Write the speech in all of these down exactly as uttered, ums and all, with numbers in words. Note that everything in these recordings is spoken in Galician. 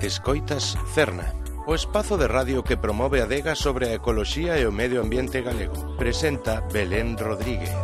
Escoitas Cerna, o espazo de radio que promove a adega sobre a ecoloxía e o medio ambiente galego. Presenta Belén Rodríguez.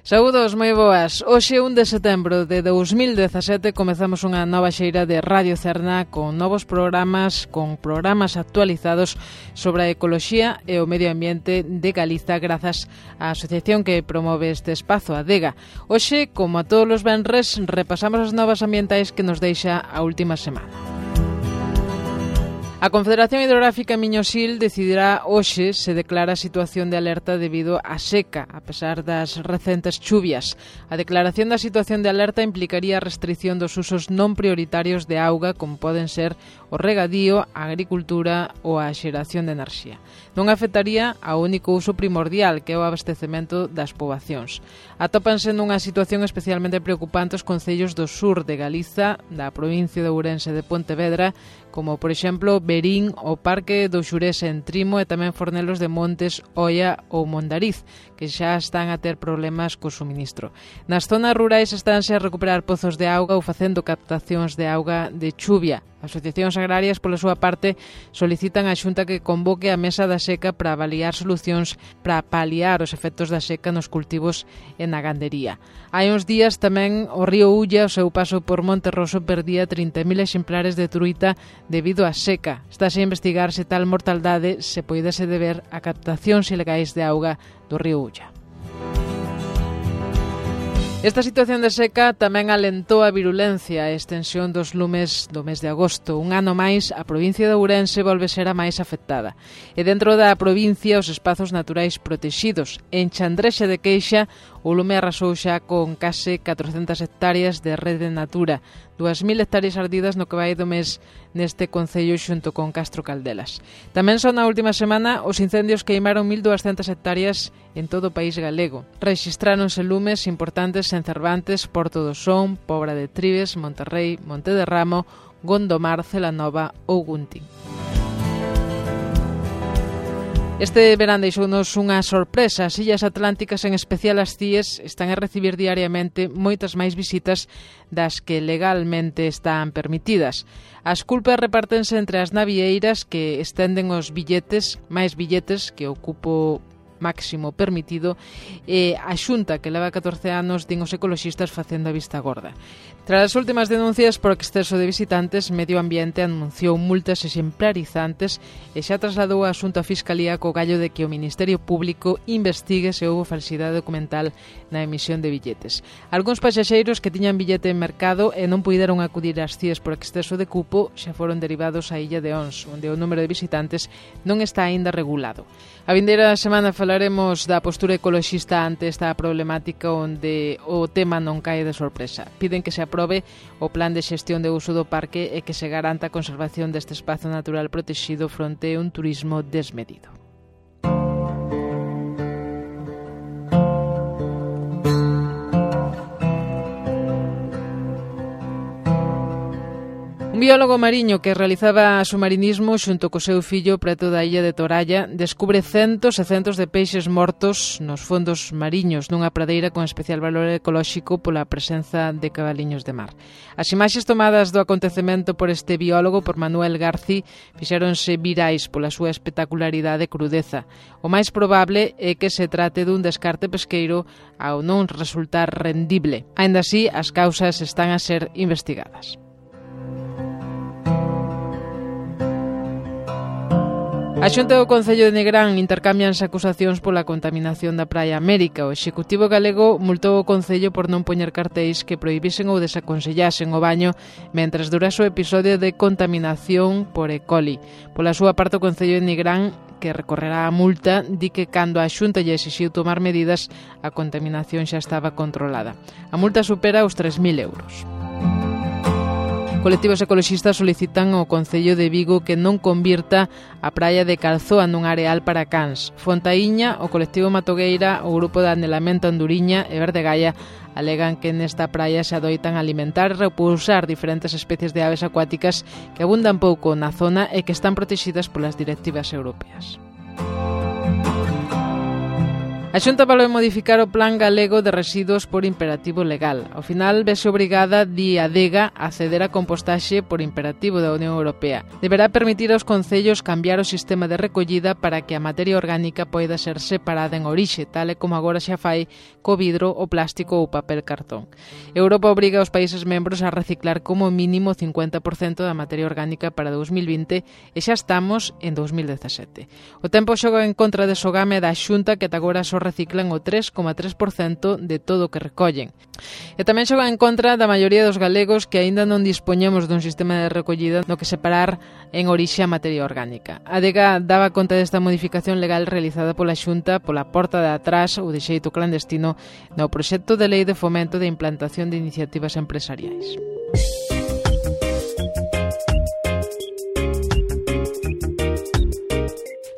Saúdos moi boas. Hoxe, un de setembro de dous mil dezasete, comezamos unha nova xeira de Radio Cerna con novos programas, con programas actualizados sobre a ecoloxía e o medio ambiente de Galiza grazas á asociación que promove este espazo, a Adega. Hoxe, como a todos os venres, repasamos as novas ambientais que nos deixa a última semana. A Confederación Hidrográfica Miño-Sil decidirá hoxe se declara a situación de alerta debido á seca, a pesar das recentes chuvias. A declaración da situación de alerta implicaría a restricción dos usos non prioritarios de auga, como poden ser o regadío, a agricultura ou a xeración de enerxía. Non afectaría ao único uso primordial, que é o abastecemento das poboacións. Atópanse nunha situación especialmente preocupante os concellos do sur de Galiza, da provincia de Ourense e de Pontevedra, como, por exemplo, Verín, o Parque do Xurés en Trimo e tamén Fornelos de Montes, Oia ou Mondariz, que xa están a ter problemas co suministro. Nas zonas rurais estánse a recuperar pozos de auga ou facendo captacións de auga de chuvia. Asociacións agrarias, pola súa parte, solicitan á Xunta que convoque a Mesa da Seca para avaliar solucións para paliar os efectos da seca nos cultivos e na gandería. Hai uns días tamén o río Ulla, o seu paso por Monterroso, perdía trinta mil exemplares de truita debido á seca. Estáse a investigar se tal mortaldade se poidese deber a captacións ilegais de auga do río Ulla. Esta situación de seca tamén alentou a virulencia e extensión dos lumes do mes de agosto. Un ano máis, a provincia de Ourense volve ser a máis afectada. E dentro da provincia, os espazos naturais protexidos. En Chandrexa de Queixa, o lume arrasou xa con case catrocentas hectáreas de rede natura, dúas mil hectáreas ardidas no que vai do mes neste concello xunto con Castro Caldelas. Tamén só na última semana os incendios queimaron mil duascentas hectáreas en todo o país galego. Rexistráronse lumes importantes en Cervantes, Porto do Son, Pobra de Trives, Monterrei, Monte de Ramo, Gondomar, Celanova ou Guntín. Este verán deixounos unha sorpresa. As Illas Atlánticas, en especial as Cíes, están a recibir diariamente moitas máis visitas das que legalmente están permitidas. As culpas repártense entre as navieiras que estenden os billetes, máis billetes que o cupo máximo permitido, e a Xunta, que leva catorce anos, din os ecoloxistas, facendo a vista gorda. Tras as últimas denuncias por exceso de visitantes, Medio Ambiente anunciou multas exemplarizantes e xa trasladou a asunto a Fiscalía co gallo de que o Ministerio Público investigue se houbo falsidade documental na emisión de billetes. Algúns pasaxeiros que tiñan billete en mercado e non puideron acudir ás Cíes por exceso de cupo xa foron derivados á Illa de Ons, onde o número de visitantes non está aínda regulado. A vindeira semana falaremos da postura ecoloxista ante esta problemática, onde o tema non cae de sorpresa. Piden que se aprobe o plan de xestión de uso do parque e que se garanta a conservación deste espazo natural protexido fronte a un turismo desmedido. Un biólogo mariño que realizaba submarinismo xunto co seu fillo preto da illa de Toralla descubre centos e centos de peixes mortos nos fondos mariños nunha pradeira con especial valor ecolóxico pola presenza de cabaliños de mar. As imaxes tomadas do acontecemento por este biólogo, por Manuel Garci, fixéronse virais pola súa espectacularidade e crudeza. O máis probable é que se trate dun descarte pesqueiro ao non resultar rendible. Aínda así, as causas están a ser investigadas. A Xunta do Concello de Negrán intercambianse acusacións pola contaminación da Praia América. O Executivo galego multou o Concello por non poñer cartéis que prohibisen ou desaconsellasen o baño mentres durase o episodio de contaminación por E. coli. Pola súa parte, o Concello de Negrán, que recorrerá a multa, di que cando a Xunta lle exixiu tomar medidas, a contaminación xa estaba controlada. A multa supera os tres mil euros. Colectivos ecoloxistas solicitan ao Concello de Vigo que non convirta a praia de Calzoa nun areal para cans. Fontaíña, o colectivo Matogueira, o grupo de Anelamento Anduriña e Verde Gaia alegan que nesta praia se adoitan alimentar e repousar diferentes especies de aves acuáticas que abundan pouco na zona e que están protegidas polas directivas europeas. A Xunta valou modificar o Plan Galego de Residuos por imperativo legal. Ao final, vese obrigada, di Adega, a ceder a compostaxe por imperativo da Unión Europea. Deberá permitir aos concellos cambiar o sistema de recollida para que a materia orgánica poida ser separada en orixe, tal e como agora xa fai co vidro, o plástico ou o papel cartón. Europa obriga aos países membros a reciclar como mínimo o cincuenta por cento da materia orgánica para dous mil vinte e xa estamos en dous mil dezasete. O tempo xoga en contra de Sogame da Xunta, que ata agora só reciclan o tres coma tres por cento de todo o que recollen. E tamén xoga en contra da maioría dos galegos que aínda non dispoñemos dun sistema de recollida no que separar en orixe a materia orgánica. A Adega daba conta desta modificación legal realizada pola Xunta pola porta de atrás ou de xeito clandestino no proxecto de lei de fomento de implantación de iniciativas empresariais.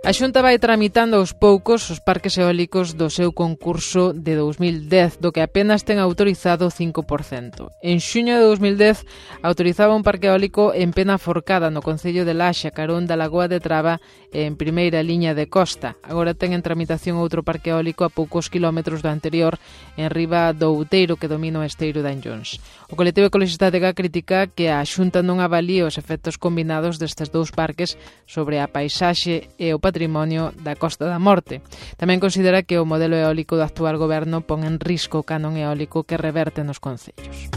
A Xunta vai tramitando aos poucos os parques eólicos do seu concurso de dous mil dez, do que apenas ten autorizado o cinco por cento. En xuño de dous mil dez autorizaba un parque eólico en Pena Forcada, no concello de Laxa, carón da Lagoa de Traba, en primeira liña de costa. Agora ten en tramitación outro parque eólico a poucos kilómetros do anterior, en riba do Outeiro, que domina o esteiro de Anllóns. O colectivo ecoloxista de Gá critica que a Xunta non avalíe os efectos combinados destes dous parques sobre a paisaxe e o patrimonio da Costa da Morte. Tamén considera que o modelo eólico do actual goberno pon en risco o canon eólico que reverte nos concellos.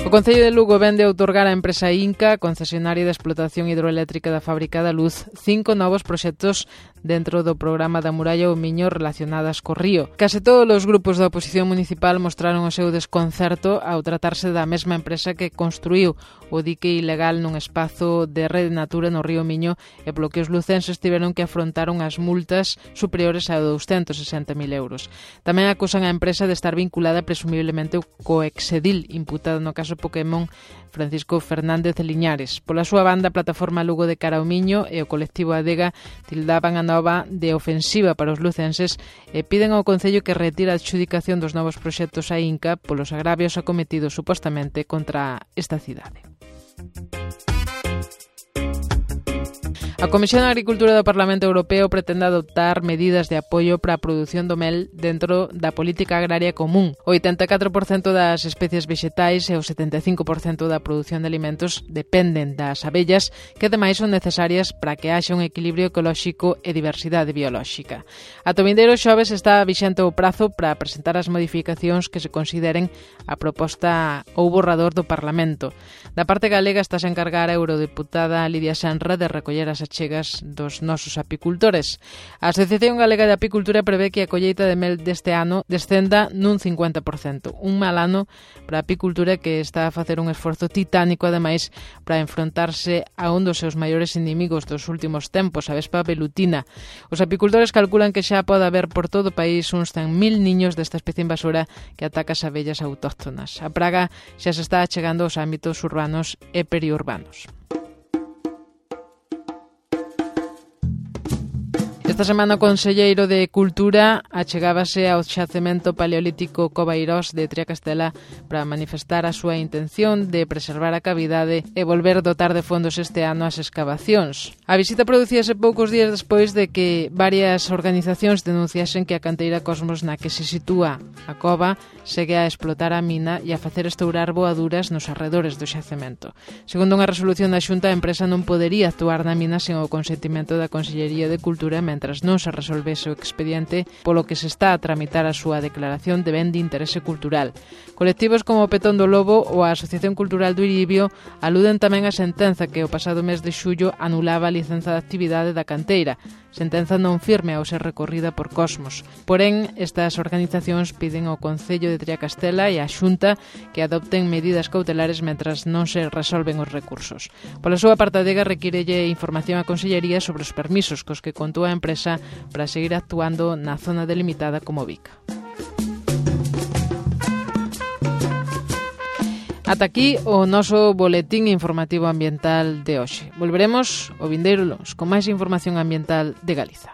O Concello de Lugo vende a outorgar á empresa Inca, concesionaria de explotación hidroeléctrica da Fábrica da Luz, cinco novos proxectos dentro do programa da Muralla ou Miño relacionadas co río. Case todos os grupos da oposición municipal mostraron o seu desconcerto ao tratarse da mesma empresa que construíu o dique ilegal nun espazo de Rede Natura no río Miño e polo que os lucenses tiveron que afrontar unhas multas superiores a douscentos sesenta mil euros. Tamén acusan a empresa de estar vinculada presumiblemente co exedil imputado no caso Pokémon Francisco Fernández de Liñares. Pola súa banda, a plataforma Lugo de Cara ao Miño e o colectivo Adega tildaban a nova de ofensiva para os lucenses e piden ao Concello que retire a adxudicación dos novos proxectos a Inca polos agravios acometidos supostamente contra esta cidade. A Comisión de Agricultura do Parlamento Europeo pretende adoptar medidas de apoio para a produción do mel dentro da política agraria común. O oitenta e catro por cento das especies vexetais e o setenta e cinco por cento da produción de alimentos dependen das abellas, que ademais son necesarias para que haxa un equilibrio ecolóxico e diversidade biolóxica. A vindeiro xoves está vixente o prazo para presentar as modificacións que se consideren a proposta ou borrador do Parlamento. Da parte galega está a encargar a eurodeputada Lidia Senra de recoller as achegas dos nosos apicultores. A Asociación Galega de Apicultura prevé que a colleita de mel deste ano descenda nun cincuenta por cento. Un mal ano para a apicultura que está a facer un esforzo titánico, ademais, para enfrontarse a un dos seus maiores inimigos dos últimos tempos, a vespa velutina. Os apicultores calculan que xa pode haber por todo o país uns cen mil niños desta especie invasora que ataca as abellas autóctonas. A praga xa se está achegando aos ámbitos urbanos e periurbanos. Esta semana o conselleiro de Cultura achegábase ao xacemento paleolítico Covairós de Triacastela para manifestar a súa intención de preservar a cavidade e volver dotar de fondos este ano as escavacións. A visita producíase poucos días despois de que varias organizacións denunciasen que a canteira Cosmos na que se sitúa a cova segue a explotar a mina e a facer estourar boaduras nos arredores do xacemento. Segundo unha resolución da Xunta, a empresa non podería actuar na mina sen o consentimento da Consellería de Cultura mentras non se resolvese o expediente, polo que se está a tramitar a súa declaración de ben de interese cultural. Colectivos como o Petón do Lobo ou a Asociación Cultural do Iribio aluden tamén a sentenza que o pasado mes de xullo anulaba a licenza de actividade da canteira, sentenza non firme ao ser recorrida por Cosmos. Porén, estas organizacións piden ao Concello de Triacastela e á Xunta que adopten medidas cautelares mentras non se resolven os recursos. Pola súa parte, a Adega requírelle información á Consellería sobre os permisos cos que contou a empresa para seguir actuando na zona delimitada como Vica. Ata aquí o noso boletín informativo ambiental de hoxe. Volveremos o vindeiro luns con máis información ambiental de Galiza.